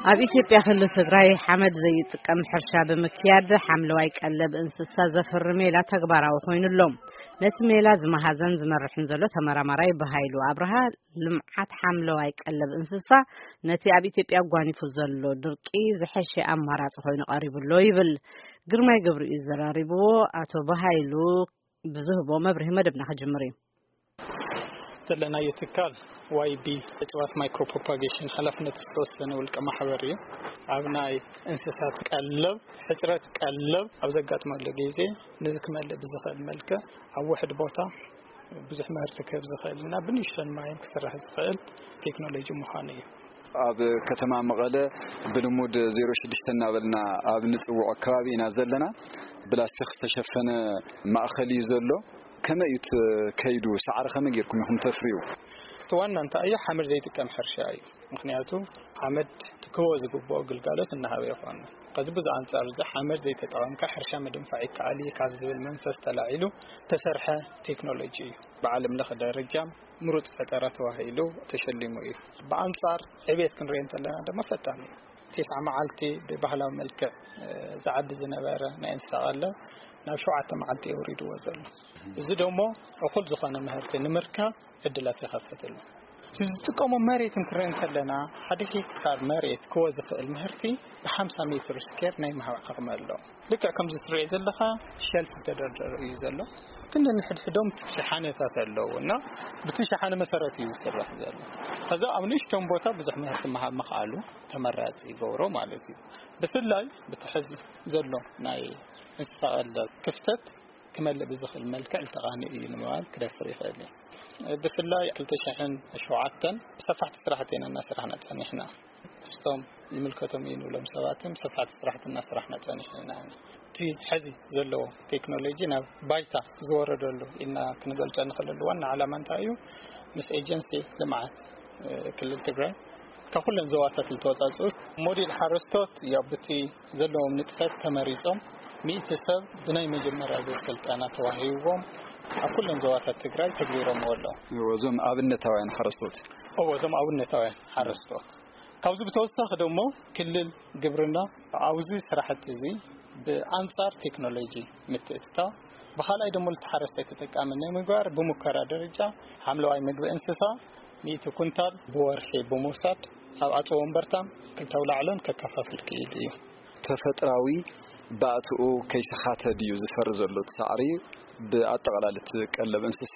ኣብ ኢትዮጵያ ክልል ትግራይ ሓመድ ዘይጥቀም ሕርሻ ብምክያድ ሓምለዋይ ቀለብ እንስሳ ዘፍሪ ሜላ ተግባራዊ ኮይኑ ኣሎ። ነቲ ሜላ ዝመሃዘን ዝመርሕን ዘሎ ተመራማራይ ብሃይሉ ኣብርሃ፣ ልምዓት ሓምለዋይ ቀለብ እንስሳ ነቲ ኣብ ኢትዮጵያ ጓኒፉ ዘሎ ድርቂ ዝሐሸ ኣማራፂ ኮይኑ ቀሪቡ ኣሎ ይብል። ግርማይ ገብሩ እዩ ዘራሪብዎ። ኣቶ ብሃይሉ ብዝህቦ መብርሂ መደብና ክጅምር እዩ። ዘለናዮ ትካል ዋይ ቢ እፅዋት ማይክሮ ፕሮፓጌሽን ሓላፍነቱ ዝተወሰነ ውልቀ ማሕበር እዩ። ኣብ ናይ እንስሳት ቀለብ፣ ሕፅረት ቀለብ ኣብ ዘጋጥመሉ ግዜ፣ ነዚ ክመልእ ብዝኽእል መልክዕ ኣብ ውሕድ ቦታ ብዙሕ ምህርቲ ክህብ ዝኽእል እና ብንእሽቶን ማይን ክስራሕ ዝኽእል ቴክኖሎጂ ምዃኑ እዩ። ኣብ ከተማ መቐለ ብልሙድ ዜሮ ሽዱሽተ እናበልና ኣብ ንፅውዖ ከባቢ ኢና ዘለና። ብላስቲክ ዝተሸፈነ ማእኸል እዩ ዘሎ። ከመይ እዩ እቲ ከይዱ? ሳዕሪ ከመይ ጌርኩም ኢኹም ተፍርዩ? እቲ ዋና እንታይ እዩ? ሓመድ ዘይጥቀም ሕርሻ እዩ። ምኽንያቱ ሓመድ ክህቦ ዝግብኦ ግልጋሎት እናሃበ ይኾን። ከዚ ብዙ ኣንጻር እዚ ሓመድ ዘይተጠቐምካ ሕርሻ ምድንፋዕ ይከኣል እዩ ካብ ዝብል መንፈስ ተላዒሉ ተሰርሐ ቴክኖሎጂ እዩ። ብዓለም ለኸ ደረጃ ምሩፅ ፈጠራ ተባሂሉ ተሸሊሙ እዩ። ብኣንጻር ዕቤት ክንሪኦ እንተለና ድማ ፈጣን እዩ። ቴስዓ መዓልቲ ብባህላዊ መልክዕ ዝዓቢ ዝነበረ ናይ እንስሳ ቀለብ ናብ ሸውዓተ መዓልቲ የውሪድዎ ዘሎ። እዚ ደሞ እኹል ዝኾነ ምህርቲ ንምርካብ ዕድላት ይኸፍት ኣሎ። ዝጥቀሞ መሬት እንክርኢ እንከለና ሓደ ሄክታር መሬት ክወ ዝኽእል ምህርቲ ብሓምሳ ሜትር ስኬር ናይ ምሃብ ዓቕሚ ኣሎ። ልክዕ ከምዚ ትሪኦ ዘለኻ ሸልፍ ዝተደርደረ እዩ ዘሎ። ግን ንሕድሕዶም ሸሓነታት ኣለዉ እና ብቲ ሸሓነ መሰረት እዩ ዝስራሕ ዘሎ። ከዛ ኣብ ንእሽቶም ቦታ ብዙሕ ምህርቲ ምሃብ ምኽኣሉ ተመራፂ ይገብሮ ማለት እዩ። ብፍላይ ብቲ ሕዚ ዘሎ ናይ እንስሳ ቀለብ ክፍተት ክመልእ ብዝኽእል መልክዕ ዝተቓንእ እዩ ንምባል ክደፍር ይኽእል እዩ። ብፍላይ ክልተ ሽሕን ሸውዓተን ብሰፋሕቲ ስራሕቲ ኢና እናሰራሕና ጸኒሕና። እስቶም ይምልከቶም እዩ ንብሎም ሰባትን ብሰፋሕቲ ስራሕቲ እናሰራሕና ጸኒሕና ኢና። እቲ ሕዚ ዘለዎ ቴክኖሎጂ ናብ ባይታ ዝወረደሉ ኢልና ክንገልጾ እንኽእለሉ ዋና ዓላማ እንታይ እዩ? ምስ ኤጀንሲ ልምዓት ክልል ትግራይ ካብ ኩለን ዞባታት ዝተወፃፅኡ ሞዴል ሓረስቶት ያው ብቲ ዘለዎም ንጥፈት ተመሪፆም ሚእቲ ሰብ ብናይ መጀመርያ ዙር ስልጠና ተዋሂብዎም ኣብ ኩለን ዞባታት ትግራይ ተግቢሮምዎ ኣለዉ። እዞም ኣብነታውያን ሓረስቶት። እዎ፣ እዞም ኣብነታውያን ሓረስቶት። ካብዚ ብተወሳኺ ደሞ ክልል ግብርና ኣብዚ ስራሕቲ እዚ ብኣንጻር ቴክኖሎጂ ምትእትታው ብኻልኣይ ደሞ እቲ ሓረስታይ ተጠቃሚ ናይ ምግባር ብሙከራ ደረጃ ሓምለዋይ ምግቢ እንስሳ ሚእቲ ኩንታል ብወርሒ ብምውሳድ ኣብ ኣፀወንበርታን ክልተ ኣውላዕሎን ከከፋፍል ክኢሉ እዩ። ተፈጥራዊ ባእትኡ ከይሰሓተ ድዩ ዝፈሪ ዘሎ እቲ ሳዕሪ ብኣጠቓላሊ እቲ ቀለብ እንስሳ?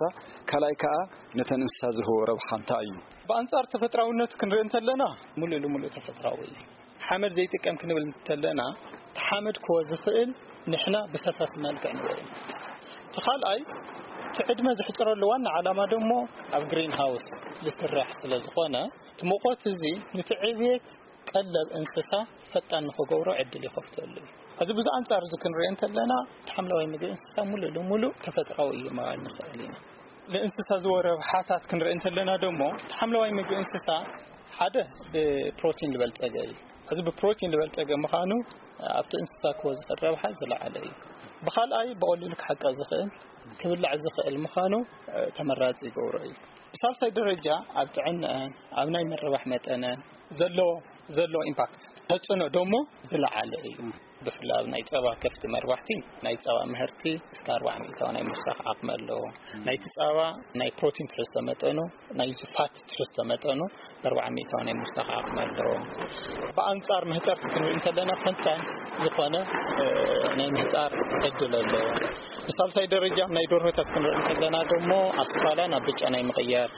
ካልኣይ ከዓ ነተን እንስሳ ዝህቦ ረብሓ እንታይ እዩ? ብኣንጻር ተፈጥራውነት ክንርኢ እንተለና ሙሉእ ልሙሉእ ተፈጥራዊ እዩ። ሓመድ ዘይጥቀም ክንብል እንተለና እቲ ሓመድ ክወ ዝኽእል ንሕና ብፈሳሲ መልክዕ ንበ እቲ ካልኣይ እቲ ዕድመ ዝሕፅረሉ ዋና ዓላማ ደሞ ኣብ ግሪን ሃውስ ዝስራሕ ስለ ዝኾነ እቲ ሙቐት እዚ ነቲ ዕብየት ቀለብ እንስሳ ፈጣን ንኽገብሮ ዕድል ይኸፍተሉ እዩ። እዚ ብዚ ኣንጻር እዚ ክንሪኦ እንተለና እቲ ሓምለዋይ ምግቢ እንስሳ ሙሉእ ልሙሉእ ተፈጥራዊ እዩ ምባል ንኽእል ኢና። ንእንስሳ ዝወ ረብሓታት ክንርኢ እንተለና ደሞ እቲ ሓምለዋይ ምግቢ እንስሳ ሓደ ብፕሮቲን ዝበልጸገ እዩ። እዚ ብፕሮቲን ዝበልጸገ ምዃኑ ኣብቲ እንስሳ ክወ ዝኽእል ረብሓ ዝለዓለ እዩ። ብኻልኣይ ብቐሊሉ ክሕቀ ዝኽእል ክብላዕ ዝኽእል ምዃኑ ተመራጺ ይገብሮ እዩ። ብሳልሳይ ደረጃ ኣብ ጥዕንአን ኣብ ናይ ምርባሕ መጠነን ዘሎ ዘሎ ኢምፓክት ተፅዕኖ ደሞ ዝለዓለ እዩ። ብፍላይ ኣብ ናይ ፀባ ከፍቲ መርባሕቲ ናይ ፀባ ምህርቲ እስከ ኣርባዓ ሚእታዊ ናይ ምውሳኽ ዓቕሚ ኣለዎ። ናይቲ ፀባ ናይ ፕሮቲን ትሕዝቶ መጠኑ ናይ ፋት ትሕዝቶ መጠኑ ኣርባዓ ሚእታዊ ናይ ምውሳኽ ዓቕሚ ኣለዎ። ብኣንፃር መህፀርቲ ክንርኢ እንተለና ፈንታን ዝኾነ ናይ ምህፃር ዕድል ኣለዎ። ብሳልሳይ ደረጃ ናይ ደርሆታት ክንርኢ እንተለና ደሞ ኣስኳላ ናብ ብጫ ናይ ምቕያር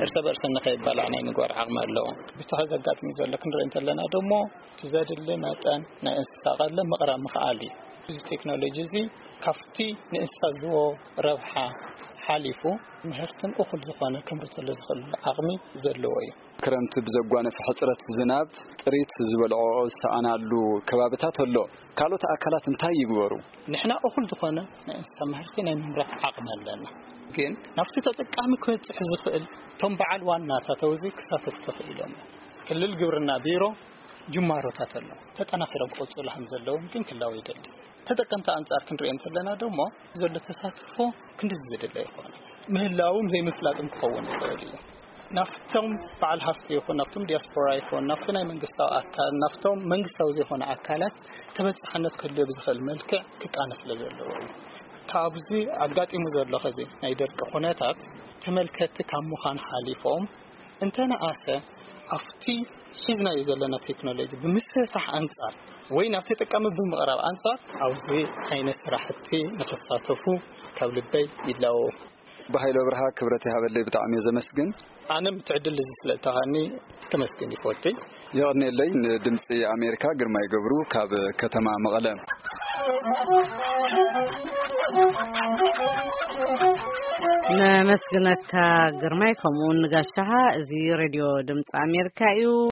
እርሰ በርሰን ንኸይባላዕ ናይ ምግባር ዓቕሚ ኣለዎ። ብቲ ከዘጋጥም ዘሎ ክንርኢ እንተለና ደሞ እቲ ዘድሊ መጠን ናይ እንስሳ ቀለብ ምቕራብ ምኽኣል እዩ። እዚ ቴክኖሎጂ እዚ ካብቲ ንእንስሳ ዝህቦ ረብሓ ሓሊፉ ምህርትን እኹል ዝኾነ ከምርተሉ ዝኽእል ዓቕሚ ዘለዎ እዩ። ክረምቲ ብዘጓነፈ ሕፅረት ዝናብ ጥሪት ዝበልዖኦ ዝሰኣናሉ ከባብታት ኣሎ። ካልኦት ኣካላት እንታይ ይግበሩ? ንሕና እኹል ዝኾነ ናይ እንስሳ ምህርቲ ናይ ምምራት ዓቕሚ ኣለና። ግን ናብቲ ተጠቃሚ ክበፅሕ ዝኽእል እቶም በዓል ዋናታት ኣብዚ ክሳተፉ ተኽኢሎም እዮም። ክልል ግብርና ቢሮ ጅማሮታት ኣሎ። ተጠናኺሮም ክቕፅሉ ከም ዘለዎም ግን ክላወ ይደሊ። ተጠቀምቲ ኣንፃር ክንሪኦ እንተለና ደሞ ዘሎ ተሳትፎ ክንዲ ዝድለ ይኾነ ምህላዎም ዘይምፍላጥም ክኸውን ይኽእል እዩ። ናፍቶም በዓል ሃፍቲ ይኹን ናፍቶም ዲያስፖራ ይኹን ናፍቲ ናይ መንግስታዊ ኣካል ናፍቶም መንግስታዊ ዘይኮነ ኣካላት ተበጻሕነት ክህልዮ ብዝኽእል መልክዕ ክቃነ ስለ ዘለዎ እዩ። ካብዚ ኣጋጢሙ ዘሎ ኸዚ ናይ ደርቂ ኩነታት ተመልከቲ ካብ ምዃን ሓሊፎም እንተነኣሰ ኣብቲ ሒዝናዮ ዘለና ቴክኖሎጂ ብምስፍሕፋሕ ኣንጻር ወይ ናብ ተጠቃሚ ብምቕራብ ኣንጻር ኣብዚ ዓይነት ስራሕቲ ንኽሳተፉ ካብ ልበይ ይላዎ። ብሃይለ ብርሃ ክብረት ይሃበለይ ብጣዕሚ እየ ዘመስግን። ኣነ ምትዕድል እዚ ስለእተኻኒ ተመስገን ይፈወልከይ። የቐኔለይ። ንድምፂ ኣሜሪካ ግርማይ ገብሩ ካብ ከተማ መቐለ። ነመስግነካ ግርማይ፣ ከምኡውን ንጋሻኻ። እዚ ሬድዮ ድምፂ ኣሜሪካ እዩ።